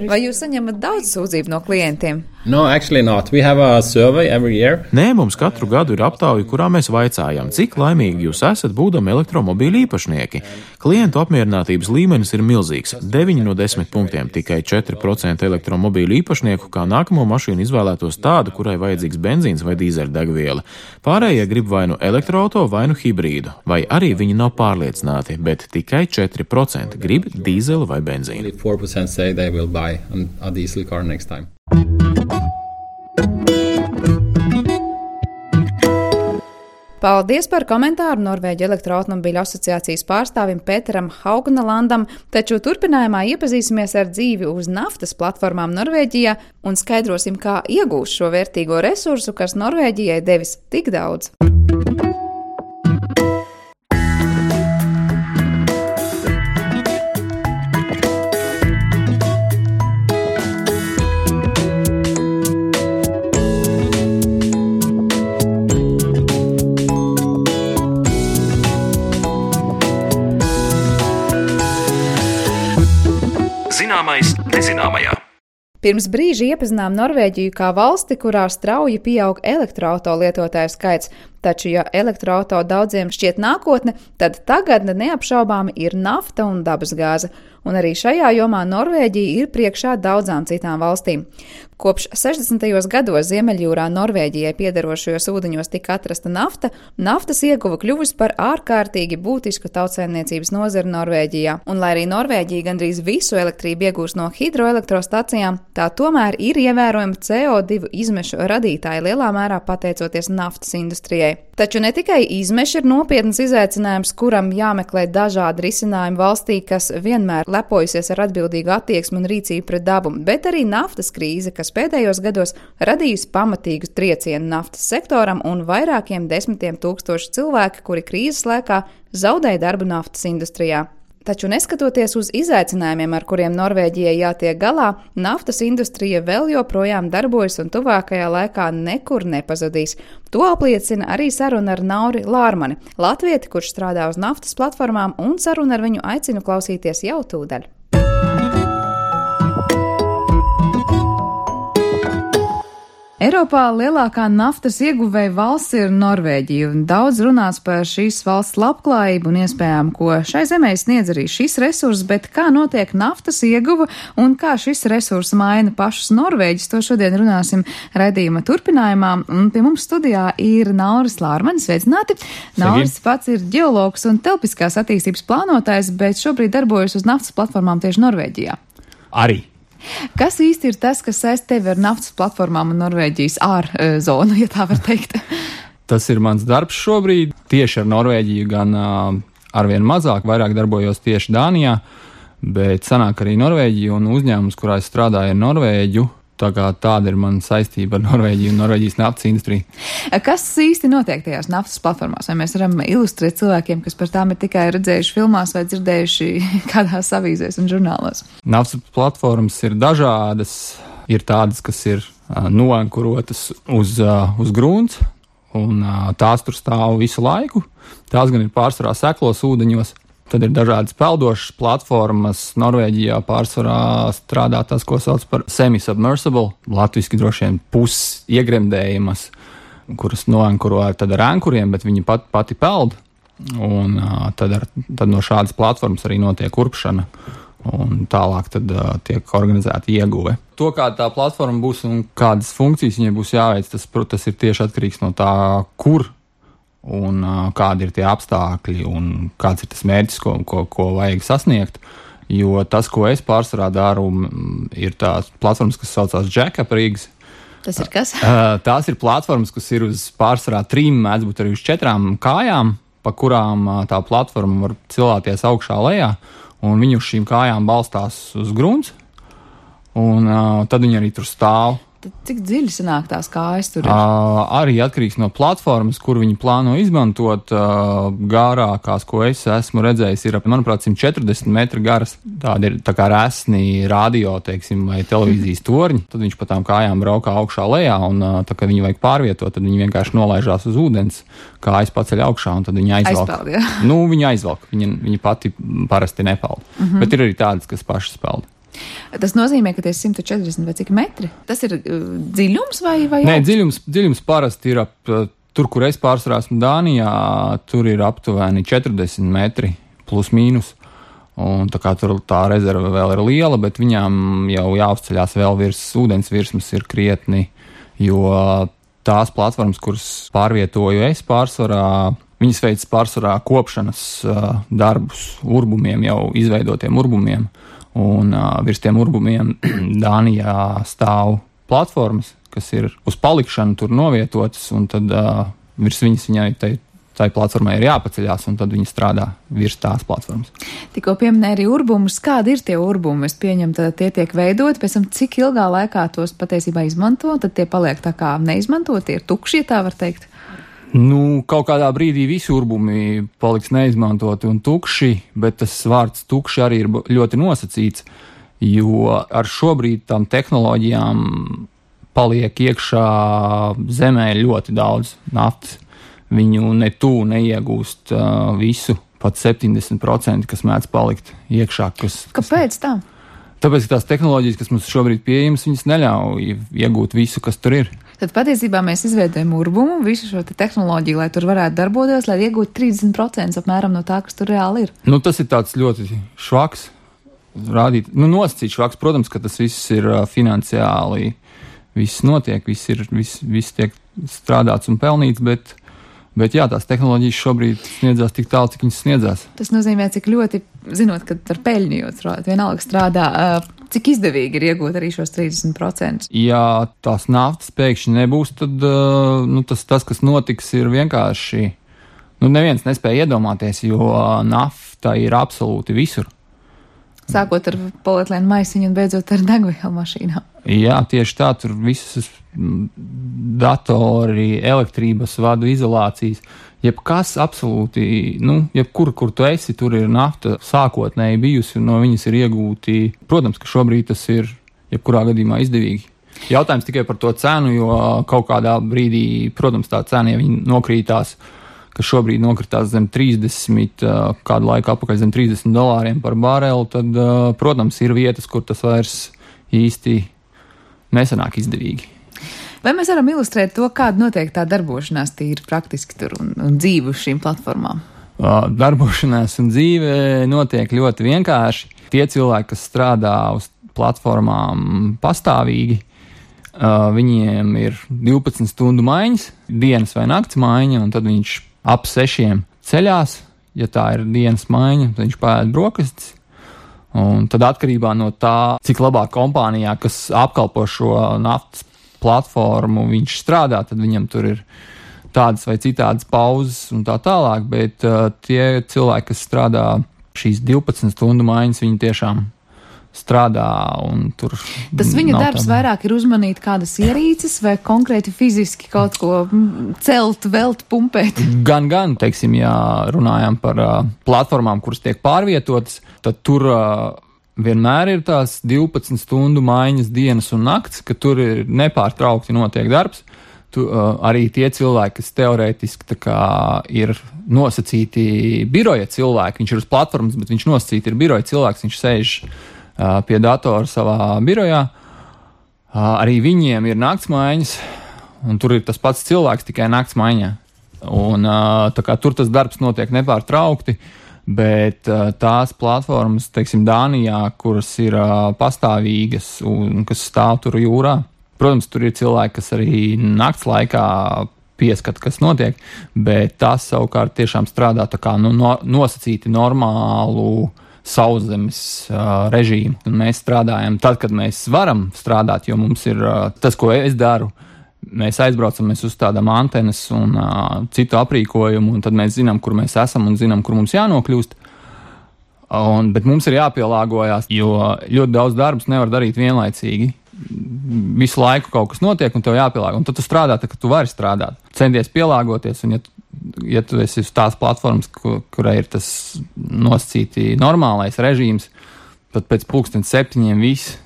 Vai jūs saņemat daudz sūdzību no klientiem? No, actually not. We have a survey every year. Nē, mums katru gadu ir aptauja, kurā mēs vaicājam, cik laimīgi jūs esat būdami elektromobīļu īpašnieki. Klientu apmierinātības līmenis ir milzīgs - 9 no 10 punktiem. Tikai 4% elektromobīļu īpašnieku kā nākamo mašīnu izvēlētos tādu, kurai vajadzīgs benzīns vai dīzeļdegviela. Pārējie grib vai nu elektroauto, vai nu hibrīdu, vai arī viņi nav pārliecināti, bet tikai 4% grib dīzeli vai benzīnu. 4% say they will buy a diesel car next time. Paldies par komentāru Norvēģu elektroautomobīļu asociācijas pārstāvim Pēteram Haugnalandam, taču turpinājumā iepazīsimies ar dzīvi uz naftas platformām Norvēģijā un skaidrosim, kā iegūst šo vērtīgo resursu, kas Norvēģijai devis tik daudz. Zināmais nezināmajā. Pirms brīža iepazinām Norvēģiju kā valsti, kurā strauji pieaug elektroauto lietotāju skaits, taču, ja elektroauto daudziem šķiet nākotne, tad tagadne neapšaubāmi ir nafta un dabasgāze, un arī šajā jomā Norvēģija ir priekšā daudzām citām valstīm. Kopš 60. gados Ziemeļjūrā Norvēģijai piederošajos ūdeņos tika atrasta nafta, naftas ieguva kļuvusi par ārkārtīgi būtisku tautsēmniecības nozari Norvēģijā, un lai arī Norvēģija gandrīz visu elektrību iegūst no hidroelektrostacijām, tā tomēr ir ievērojama CO2 izmešu radītāja lielā mērā pateicoties naftas industrijai. Taču ne tikai izmeši ir nopietnas izaicinājums, kuram jāmeklē dažādi risinājumi valstī, kas vienmēr lepojusies ar atbildīgu attieksmi un rīcību pret dabu, bet arī naftas krīze, kas pēdējos gados radījusi pamatīgu triecienu naftas sektoram un vairākiem desmitiem tūkstoši cilvēki, kuri krīzes laikā zaudēja darbu naftas industrijā. Taču neskatoties uz izaicinājumiem, ar kuriem Norvēģijai jātiek galā, naftas industrija vēl joprojām darbojas un tuvākajā laikā nekur nepazudīs. To apliecina arī saruna ar Nauri Lārmani, latvieti, kurš strādā uz naftas platformām, un saruna ar viņu aicinu klausīties jau tūdaļ. Eiropā lielākā naftas ieguvēja valsts ir Norvēģija, un daudz runāts par šīs valsts labklājību un iespējām, ko šai zemē sniedz arī šis resurs, bet kā notiek naftas ieguva un kā šis resurs maina pašus norvēģus, to šodien runāsim raidījuma turpinājumā, un pie mums studijā ir Nauris Lārmanis, sveicināti. Nauris pats ir ģeologs un telpiskās attīstības plānotājs, bet šobrīd darbojas uz naftas platformām tieši Norvēģijā. Arī. Kas īsti ir tas, kas saist tevi ar naftas platformām un Norvēģijas ārzonu, ja tā var teikt? Tas ir mans darbs šobrīd. Tieši ar Norvēģiju gan arvien mazāk, vairāk darbojos tieši Dānijā, bet sanāk arī Norvēģija un uzņēmums, kurā es strādāju ar Norvēģu. Tā kā tāda ir mana saistība ar Norvēģiju un Norvēģijas naftas industriju. Kas īsti notiek tajās naftas platformās? Vai mēs varam ilustrēt cilvēkiem, kas par tām ir tikai redzējuši filmās vai dzirdējuši kādās avīzēs un žurnālos? Naftas platformas ir dažādas. Ir tādas, kas ir noankurotas uz grunts, un tās tur stāv visu laiku. Tās gan ir pārsvarā seklos ūdeņos. Tad ir dažādas peldošas platformas. Norvēģijā pārsvarā strādā tas, ko sauc par semi-submersible, latviski droši vien pusiegremdējumas, kuras noankuro tad ar ankuriem, bet viņi pati peld. Un tad no šādas platformas arī notiek urpšana. Un tālāk tad tiek organizēta ieguve. To, kāda tā platforma būs un kādas funkcijas viņai būs jāveic, tas ir tieši atkarīgs no tā, kur un kādi ir tie apstākļi un kāds ir tas mērķis, ko vajag sasniegt. Jo tas, ko es pārsvarā daru, ir tās platformas, kas saucās jack-up rigs, Tas ir kas? Tās ir platformas, kas ir uz pārsvarā 3, mēdz būt arī uz 4 kājām, pa kurām tā platforma var cilāties augšā lejā, un viņi uz šīm kājām balstās uz grunts, un tad viņi arī tur stāv. Tad cik dziļi sanāk tās kājas tur ir? Arī atkarīgs no platformas, kur viņi plāno izmantot. Gārākās, ko es esmu redzējis, ir, manuprāt, 140 metri garas. Tādi ir tā kā resni radio, teiksim, vai televīzijas torņi. Tad viņš pa tām kājām braukā augšā lejā, un tā kā viņi vajag pārvietot, tad viņi vienkārši nolaižās uz ūdens, kājas paceļ augšā, un tad viņi aizvelk. Aizpeld, jā. Nu, viņi aizvelk, viņi pati parasti nepeld. Bet ir arī tādas, kas pašas peld. Tas nozīmē, ka tie 140 vai cik metri? Tas ir dziļums vai Nē, dziļums parasti ir tur, kur es pārsvarā esmu Dānijā, tur ir aptuveni 40 metri plus mīnus. Un tā kā tur tā rezerve vēl ir liela, bet viņām jau jāuzceļās vēl ūdens virsmas ir krietni, jo tās platformas, kuras pārvietoju es pārsvarā, viņas veic pārsvarā kopšanas darbus urbumiem, jau izveidotiem urbumiem. Un virs tiem urbumiem Dānijā stāv platformas, kas ir uz palikšanu tur novietotas, un tad virs viņas viņai tai platformai ir jāpaceļās, un tad viņi strādā virs tās platformas. Tikko pieminēja arī urbumus. Kādi ir tie urbumi? Es pieņemu, tad tie tiek veidoti, pēc tam cik ilgā laikā tos patiesībā izmanto, tad tie paliek tā kā neizmantot, tie ir tukši, ja tā var teikt. Nu, kaut kādā brīdī visi urbumi paliks neizmantoti un tukši, bet tas vārds tukši arī ir ļoti nosacīts, jo ar šobrīd tām tehnoloģijām paliek iekšā zemē ļoti daudz naftas. Viņu ne tuvu neiegūst visu, pat 70%, kas mēdz palikt iekšā. Kāpēc tā? Tāpēc, ka tās tehnoloģijas, kas mums šobrīd pieejamas, viņas neļauj iegūt visu, kas tur ir. Tad patiesībā mēs izveidojam urbumu, visu šo tehnoloģiju, lai tur varētu darboties, lai iegūtu 30% apmēram no tā, kas tur reāli ir. Nu, tas ir tāds ļoti švaks, nosacīts švaks. Protams, ka tas viss ir finansiāli, viss notiek, viss tiek strādāts un pelnīts, bet jā, tās tehnoloģijas šobrīd sniedzās tik tālu, cik viņas sniedzās. Tas nozīmē, cik ļoti, zinot, ka ar peļņu vienalga strādā, cik izdevīgi ir iegūt arī šos 30%? Ja tās naftas pēkšņi nebūs, tad tas, kas notiks, ir vienkārši, neviens nespēja iedomāties, jo nafta ir absolūti visur. Sākot ar polietilēnu maisiņu un beidzot ar degvielu mašīnām. Jā, tieši tā, tur visas datori, elektrības vadu izolācijas, jebkas absolūti, jebkur, kur tu esi, tur ir nafta sākotnēji bijusi, un no viņas ir iegūti. Protams, ka šobrīd tas ir jebkurā gadījumā izdevīgi. Jautājums tikai par to cenu, jo kaut kādā brīdī, protams, tā cena, ja viņi nokrītās, kas šobrīd nokritās zem 30, kādu laiku apakaļ zem $30 par barelu, tad, protams, ir vietas, kur tas vairs īsti nesanāk izdevīgi. Vai mēs varam ilustrēt to, kāda notiek tā darbošanās tīri praktiski tur un dzīve uz šīm platformām? Darbošanās un dzīve notiek ļoti vienkārši. Tie cilvēki, kas strādā uz platformām pastāvīgi, viņiem ir 12 stundu maiņas, dienas vai nakts maiņa, un tad viņš ap 6 ceļās. Ja tā ir dienas maiņa, tad viņš paēd brokastis. Un tad atkarībā no tā, cik labā kompānijā, kas apkalpo šo naftas platformu, viņš strādā, tad viņam tur ir tādas vai citādas pauzes un tā tālāk, bet tie cilvēki, kas strādā šīs 12 stundu maiņas, viņi tiešām strādā un tur. Tas viņa darbs vairāk ir uzmanīt kādas ierīces vai konkrēti fiziski kaut ko celt, velt, pumpēt? Gan, teiksim, ja runājam par platformām, kuras tiek pārvietotas, tad tur vienmēr ir tās 12 stundu maiņas dienas un nakts, ka tur ir nepārtraukti notiek darbs. Arī tie cilvēki, kas teorētiski ir nosacīti biroja cilvēki, viņš ir uz platformas, bet viņš nosacīti ir biroja cilvēks, viņš sēž pie datora savā birojā. Arī viņiem ir naktsmaiņas, un tur ir tas pats cilvēks tikai naktsmaiņā. Un tur tas darbs notiek nepārtraukti, bet tās platformas, teiksim, Dānijā, kuras ir pastāvīgas un kas stāv tur jūrā, protams, tur ir cilvēki, kas arī nakts laikā pieskata, kas notiek, bet tās savukārt tiešām strādā tā kā nosacīti normālu sauszemes režīmu. Un mēs strādājam tad, kad mēs varam strādāt, jo mums ir tas, ko es daru. Mēs aizbraucam, mēs uzstādām antenas un citu aprīkojumu, un tad mēs zinām, kur mēs esam un zinām, kur mums jānokļūst. Bet mums ir jāpielāgojās, jo ļoti daudz darbus nevar darīt vienlaicīgi. Visu laiku kaut kas notiek, un tev jāpielāgo. Un tad tu strādā, tad, kad tu vari strādāt. Centies pielāgoties, un ja tu esi uz tās platformas, kurai ir tas nosacīti normālais režīms, tad pēc 7:00 viss.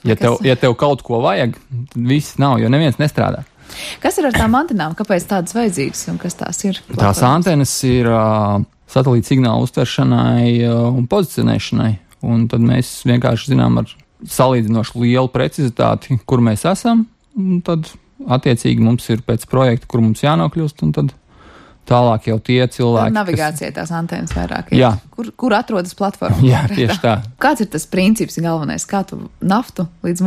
Ja tev kaut ko vajag, tad viss nav, jo neviens nestrādā. Kas ir ar tām antenām? Kāpēc tādas vajadzīgas un kas tās ir? Tās antenas ir satelīta signālu uztveršanai un pozicionēšanai. Un tad mēs vienkārši zinām ar salīdzinoši lielu precizitāti, kur mēs esam. Un tad attiecīgi mums ir pēc projekta, kur mums jānokļūst, un tad tālāk jau tie cilvēki. Navigācija tās antenas vairāk ir. Jā. Kur atrodas platforma? Jā, tieši tā. Kāds ir tas princips galvenais? Kā tu naftu līdz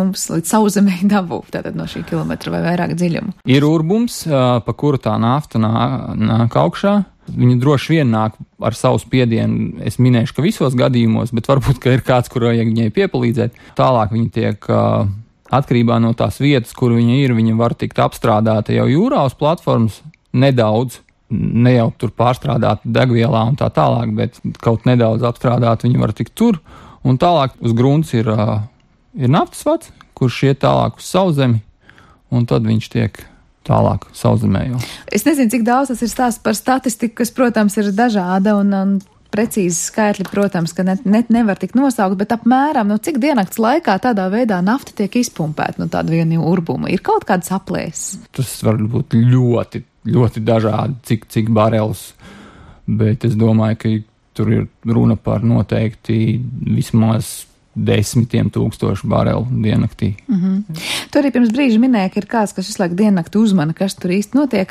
sauszemei dabū, tātad no šī kilometra vai vairāk dziļumu? Ir urbums, pa kuru tā nafta nāk augšā. Viņa droši vien nāk ar savu spiedienu. Es minēšu, ka visos gadījumos, bet varbūt, ka ir kāds, kur vajag viņai piepalīdzēt. Tālāk viņa tiek atkarībā no tās vietas, kur viņa ir, viņa var tikt apstrādāta jau jūrā uz platformas nedaudz. Ne jau tur pārstrādāt degvielā un tā tālāk, bet kaut nedaudz apstrādāt viņi var tikt tur. Un tālāk uz grunts ir naftas vads, kurš iet tālāk uz sauszemi, un tad viņš tiek tālāk sauszemē jau. Es nezinu, cik daudz tas ir stāsts par statistiku, kas, protams, ir dažāda un precīzi skaitļi, protams, ka nevar tik nosaukt, bet apmēram, cik diennakts laikā tādā veidā nafta tiek izpumpēta no tāda viena urbuma. Ir kaut kāds aplēses? Tas var būt ļoti dažādi, cik barels, bet es domāju, ka tur ir runa par noteikti vismaz 10,000 barelu diennaktī. Tu arī pirms brīža minēja, ka ir kāds, kas visu laiku diennakti uzmana, kas tur īsti notiek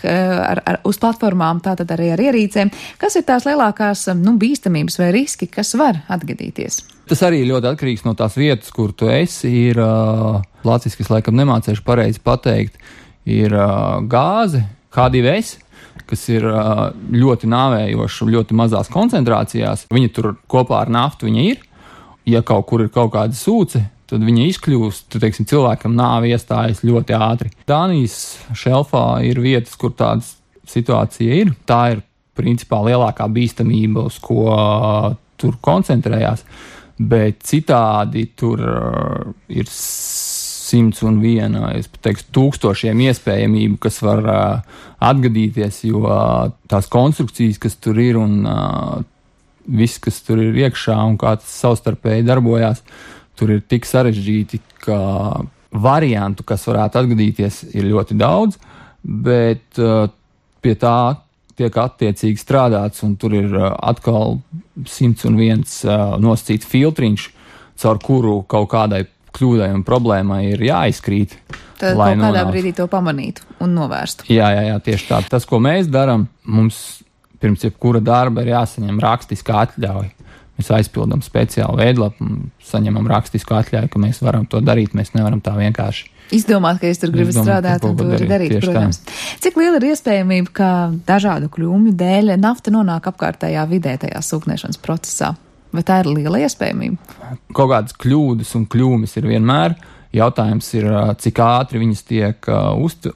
uz platformām, tātad arī ar ierīcēm. Kas ir tās lielākās bīstamības vai riski, kas var atgadīties? Tas arī ļoti atkarīgs no tās vietas, kur tu esi. Ir lāciski, es laikam nemācēšu pareizi pateikt, ir gāze, H2S, kas ir ļoti nāvējoša, ļoti mazās koncentrācijās. Viņa tur kopā ar naftu viņa ir. Ja kaut kur ir kaut kāda sūce, tad viņa izkļūst, teiksim, cilvēkam nāve iestājas ļoti ātri. Dānijas šelfā ir vietas, kur tāda situācija ir. Tā ir principā lielākā bīstamība, uz ko tur koncentrējās, bet citādi tur ir 101, es teikšu, 1000 iespējamību, kas var atgadīties, jo tās konstrukcijas, kas tur ir un viss, kas tur ir iekšā un kā tas savstarpēji darbojās, tur ir tik sarežģīti, ka variantu, kas varētu atgadīties, ir ļoti daudz, bet pie tā tiek attiecīgi strādāts, un tur ir atkal 101 nosacīts filtriņš, caur kuru kaut kādai kļūdai un problēmai ir jāizkrīt. Tad kaut kādā brīdī to pamanītu un novērstu. Jā, tieši tā. Tas, ko mēs darām, mums pirms jebkura darba ir jāsaņem rakstiskā atļauja. Mēs aizpildām speciālu veidlapu un saņemam rakstisku atļauju, ka mēs varam to darīt. Mēs nevaram tā vienkārši izdomāt, ka es tur gribu strādāt un to darīt, protams. Cik liela ir iespējamība, ka dažādu kļūmju dēļ nafta nonāk apkārtējā vidē tajā sūknēšanas procesā? Vai tā ir liela iespējamība? Kaut kādas kļūdas un kļūmes ir vienmēr. Jautājums ir, cik ātri viņas tiek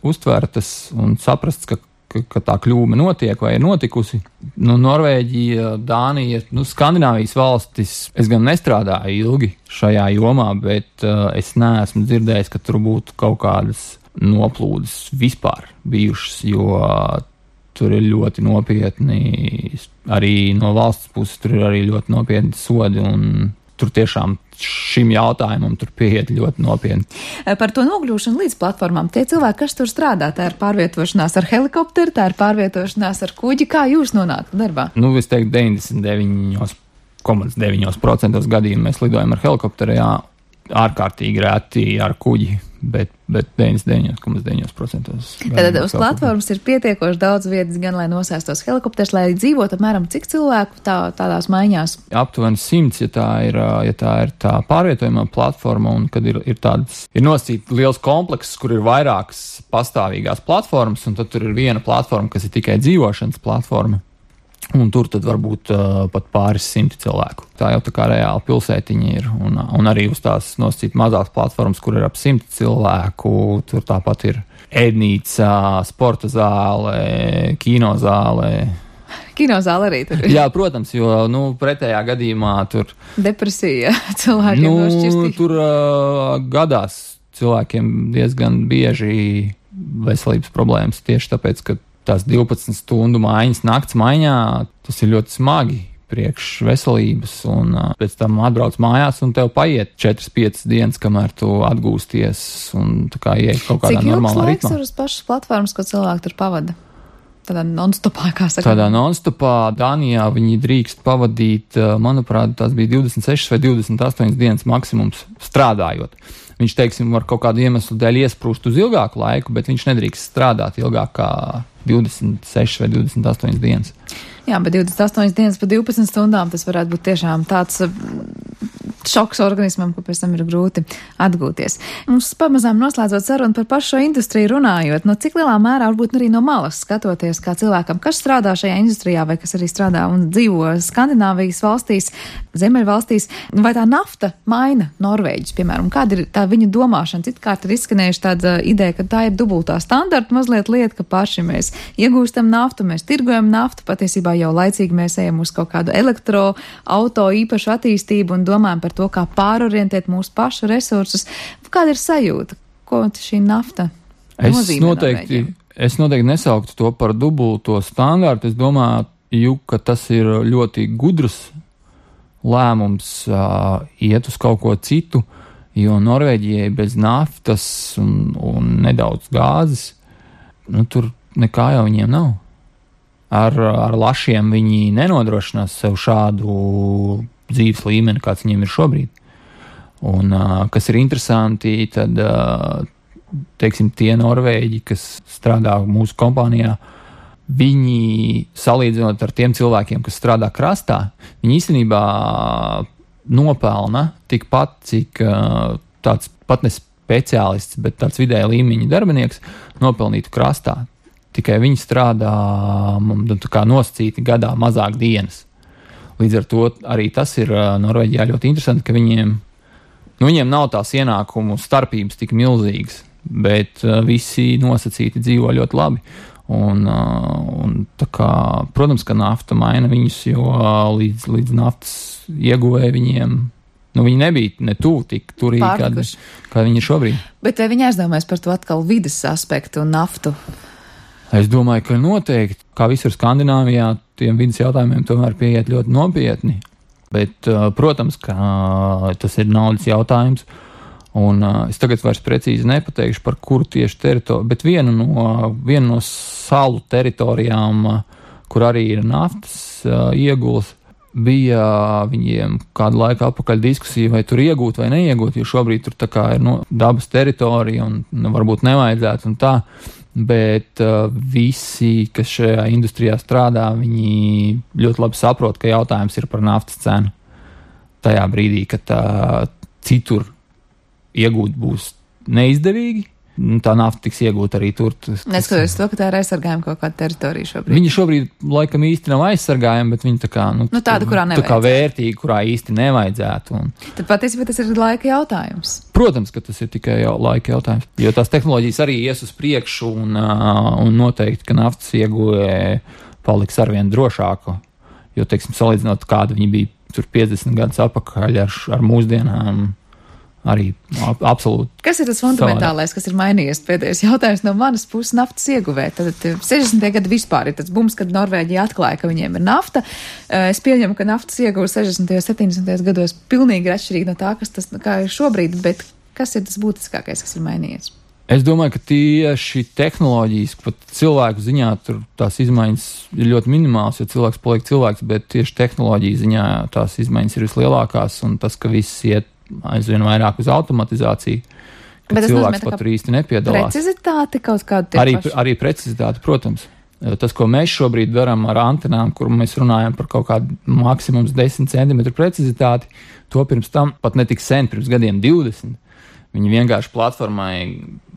uztvertas un saprasts, ka tā kļūme notiek vai ir notikusi. Norvēģija, Dānija, Skandināvijas valstis, es gan nestrādāju ilgi šajā jomā, bet es neesmu dzirdējis, ka tur būtu kaut kādas noplūdes vispār bijušas, jo tur ir ļoti nopietni, arī no valsts puses tur ir arī ļoti nopietni sodi, un tur tiešām šim jautājumam tur pieiet ļoti nopietni. Par to nokļūšanu līdz platformām, tie cilvēki, kas tur strādā, tā ir pārvietošanās ar helikopteru, tā ir pārvietošanās ar kuģi, kā jūs nonākat darbā? Es teiktu, 99,9% gadījumu mēs lidojam ar helikopteru, jā, ārkārtīgi reti ar kuģi, bet 99,9%. Tad uz platformas ir pietiekoši daudz vietas, gan lai nosēstos helikopters, lai dzīvot apmēram cik cilvēku tādās maiņās? Aptuveni 100, ja tā ir tā pārvietojumā platforma, un kad ir nosacīts liels komplekss, kur ir vairākas pastāvīgās platformas, un tad tur ir viena platforma, kas ir tikai dzīvošanas platforma. Un tur tad varbūt pat pāris 100 cilvēku. Tā jau tā kā reāla pilsētiņa ir. Un arī uz tās nosacīt mazās platformas, kur ir ap 100 cilvēku. Tur tāpat ir ēdnīca, sporta zāle, kinozāle. Kinozāle arī tur ir. Jā, protams, jo pretējā gadījumā tur... Depresija cilvēkiem nošķirstī. Tur gadās cilvēkiem diezgan bieži veselības problēmas tieši tāpēc, ka tās 12 stundu maiņas nakts maiņā, tas ir ļoti smagi priekš veselības, un pēc tam atbrauc mājās, un tev paiet 4-5 dienas, kamēr tu atgūsties, un tā kā ieiet kaut kādā normālā ritmā. Cik ilgs laiks ir uz pašas platformas, ko cilvēki tur pavada? Tādā non-stopā, kā saka? Tādā non-stopā Dānijā viņi drīkst pavadīt, manuprāt, tās bija 26 vai 28 dienas maksimums strādājot. Viņš, teiksim, var kaut kādu iemeslu dēļ iesprūst uz ilgāku laiku, bet viņš nedrīkst strādāt ilgāk kā 26 vai 28 dienas. Jā, bet 28 dienas pa 12 stundām tas varētu būt tiešām tāds šoks organismam, ka pēc tam ir grūti atgūties. Mums pamazām noslēdzot sarunu par pašu šo industriju runājot, cik lielā mērā varbūt arī no malas skatoties kā cilvēkam, kas strādā šajā industrijā vai kas arī strādā un dzīvo Skandināvijas valstīs, Ziemeļvalstīs, vai tā nafta maina Norvēģis, piemēram, kāda ir tā viņa domāšana? Citkārt ir izskanējuši tāda ideja, ka tā ir dubultā standarta mazliet lieta, ka paši mēs iegūstam naftu, mēs tirgojam naftu, patiesībā jau laicīgi mēs ejam uz kaut kādu elektroauto īpašu attīstību un domājam par to, kā pārorientēt mūsu pašu resursus. Kāda ir sajūta? Ko šī nafta nozīmē Norvēģiem? Es noteikti nesauktu to par dubulto standārtu. Es domāju, ka tas ir ļoti gudrs lēmums iet uz kaut ko citu, jo Norvēģijai bez naftas un nedaudz gāzes, tur nekā jau viņiem nav. Ar lašiem viņi nenodrošinās sev šādu dzīves līmeni, kāds viņiem ir šobrīd. Un, kas ir interesanti, tad, teiksim, tie norvēģi, kas strādā mūsu kompānijā, viņi, salīdzinot ar tiem cilvēkiem, kas strādā krastā, viņi īstenībā nopelna tikpat, cik tāds pat ne speciālists, bet tāds vidēja līmeņa darbinieks nopelnītu krastā. Tikai viņi strādā tā kā nosacīti gadā mazāk dienas. Līdz ar to arī tas ir Norvēģijā ļoti interesanti, ka viņiem nav tās ienākumu starpības tik milzīgas, bet visi nosacīti dzīvo ļoti labi. Un tā kā, protams, ka nafta maina viņus, jo līdz naftas ieguvēja viņiem, viņi nebija ne tuvu tik turīgi, kā viņi ir šobrīd. Bet viņi aizdomājas par to atkal vides aspektu un naftu. Es domāju, ka noteikti, kā visur Skandināvijā, tiem vidas jautājumiem tomēr pieiet ļoti nopietni. Bet, protams, ka tas ir naudas jautājums. Un es tagad vairs precīzi nepateikšu, par kuru tieši teritoriju, bet viena no salu teritorijām, kur arī ir naftas iegulas, bija viņiem kādu laiku atpakaļ diskusija, vai tur iegūt vai neiegūt, jo šobrīd tur tā kā ir dabas teritorija un varbūt nevajadzētu un tā. Bet visi, kas šajā industrijā strādā, viņi ļoti labi saprot, ka jautājums ir par naftas cenu. Tajā brīdī, kad citur iegūt būs neizdevīgi, tā nafta tiks iegūta arī tur. Neskatoties to, ka tā ir aizsargājuma kaut kāda teritorija šobrīd. Viņi šobrīd laikam īsti nav aizsargājumi, bet viņi tā kā, tāda, kurā nevajadzētu. Tā kā vērtīgi, kurā īsti nevajadzētu. Tad patiesībā tas ir laika jautājums. Protams, ka tas ir tikai laika jautājums, jo tās tehnoloģijas arī ies uz priekšu un noteikti, ka naftas ieguve paliks arvien drošāka, jo, teiksim, salīdzinot, kāda viņi bija tur 50 gadus atpakaļ ar mūsdienām, arī absolūti. Kas ir tas fundamentālais, kas ir mainījies? Pēdējais jautājums no manas puses naftas ieguvē. Tad 60. gadi vispār ir tas bums, kad Norvēģija atklāja, ka viņiem ir nafta. Es pieņemu, ka naftas ieguve 60. un 70. gados pilnīgi atšķirīgi no tā, kas tas kā ir šobrīd, bet kas ir tas būtiskākais, kas ir mainījies? Es domāju, ka tieši tehnoloģijas, pat cilvēku ziņā, tur tās izmaiņas ir ļoti minimāls, jo cilvēks paliek cilvēks, bet tieši tehnoloģiju ziņā tās izmaiņas ir vislielākās, un tas, ka viss iet aizvien vairāk uz automatizāciju, ka cilvēks pat tur īsti nepiedalās. Precizitāti kaut kādu arī precizitāti, protams. Tas, ko mēs šobrīd darām ar antenām, kur mēs runājam par kaut kādu maksimums 10 cm precizitāti, to pirms tam pat netik sen, pirms gadiem 20. Viņi vienkārši platformai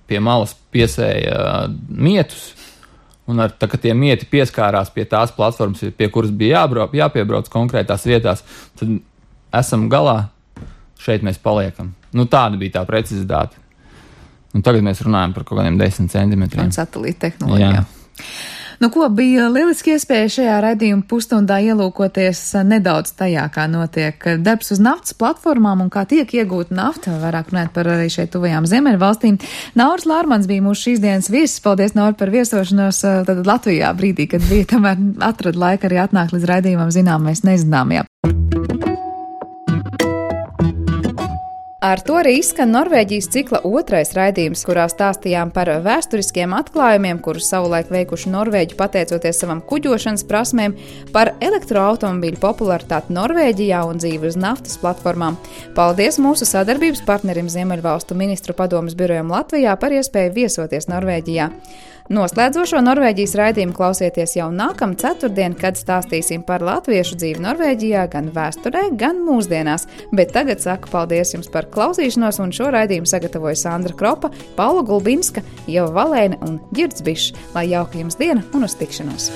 pie malas piesēja mietus, Un tā, ka tie mieti pieskārās pie tās platformas, pie kuras bija jāpiebrauc konkrētās vietās, tad esam galā, šeit mēs paliekam. Tāda bija tā precizitāte. Un tagad mēs runājam par kaut kādiem 10 centimetriem. Un satelīta tehnoloģijā. Ko bija lieliski iespēja šajā raidījuma pusstundā ielūkoties nedaudz tajā, kā notiek darbs uz naftas platformām un kā tiek iegūta nafta, vairāk runāt par arī šeit tuvajām Ziemeļvalstīm. Nauris Lārmans bija mūsu šīs dienas viesis. Paldies, Nauri, par viesošanos tad Latvijā brīdī, kad bija tomēr atrada laika arī atnākt līdz raidījumam zināmais nezināmajā. Ar to arī izskan Norvēģijas cikla otrais raidījums, kurā stāstījām par vēsturiskiem atklājumiem, kurus savulaik veikuši norvēģi pateicoties savam kuģošanas prasmēm, par elektroautomobīļu popularitāti Norvēģijā un dzīvi uz naftas platformām. Paldies mūsu sadarbības partnerim Ziemeļvalstu ministru padomes birojam Latvijā par iespēju viesoties Norvēģijā. Noslēdzošo Norvēģijas raidījumu klausieties jau nākamā ceturtdien, kad stāstīsim par latviešu dzīvi Norvēģijā gan vēsturē, gan mūsdienās. Bet tagad saku paldies jums par klausīšanos, un šo raidījumu sagatavoja Sandra Kropa, Paula Gulbinska, Ieva Valēne un Ģirds Bišs. Lai jauka jums diena un uz tikšanos!